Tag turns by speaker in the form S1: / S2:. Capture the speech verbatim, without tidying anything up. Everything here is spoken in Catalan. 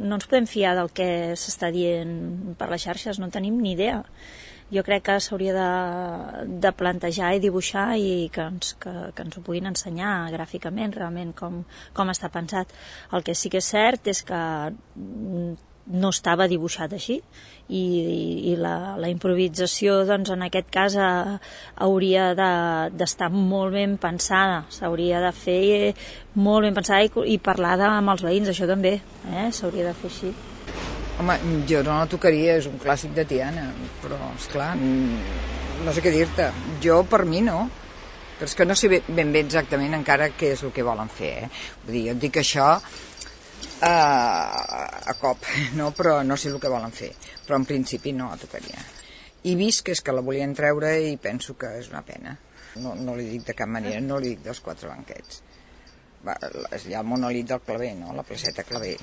S1: no ens podem fiar del que s'està dient per les xarxes, no en tenim ni idea. Jo crec que s'hauria de, de plantejar i dibuixar i que ens, que, que ens ho puguin ensenyar gràficament realment com, com està pensat. El que sí que és cert és que no estava dibuixat així i, i la, la improvisació doncs, en aquest cas eh, hauria d'estar de, molt ben pensada, s'hauria de fer molt ben pensada i, i parlada amb els veïns, això també, eh? S'hauria de fer així.
S2: Home, jo no la tocaria, és un clàssic de Tiana, però, esclar, no sé què dir-te. Jo, per mi, no. Però és que no sé ben bé exactament encara què és el que volen fer, eh? Vull dir, jo et dic això uh, a cop, no? Però no sé el que volen fer. Però en principi no la tocaria. I vist que és que la volien treure i penso que és una pena. No, no li dic de cap manera, no li dic dels quatre banquets. Va, hi ha el monolit del Claver, no? La placeta Claver.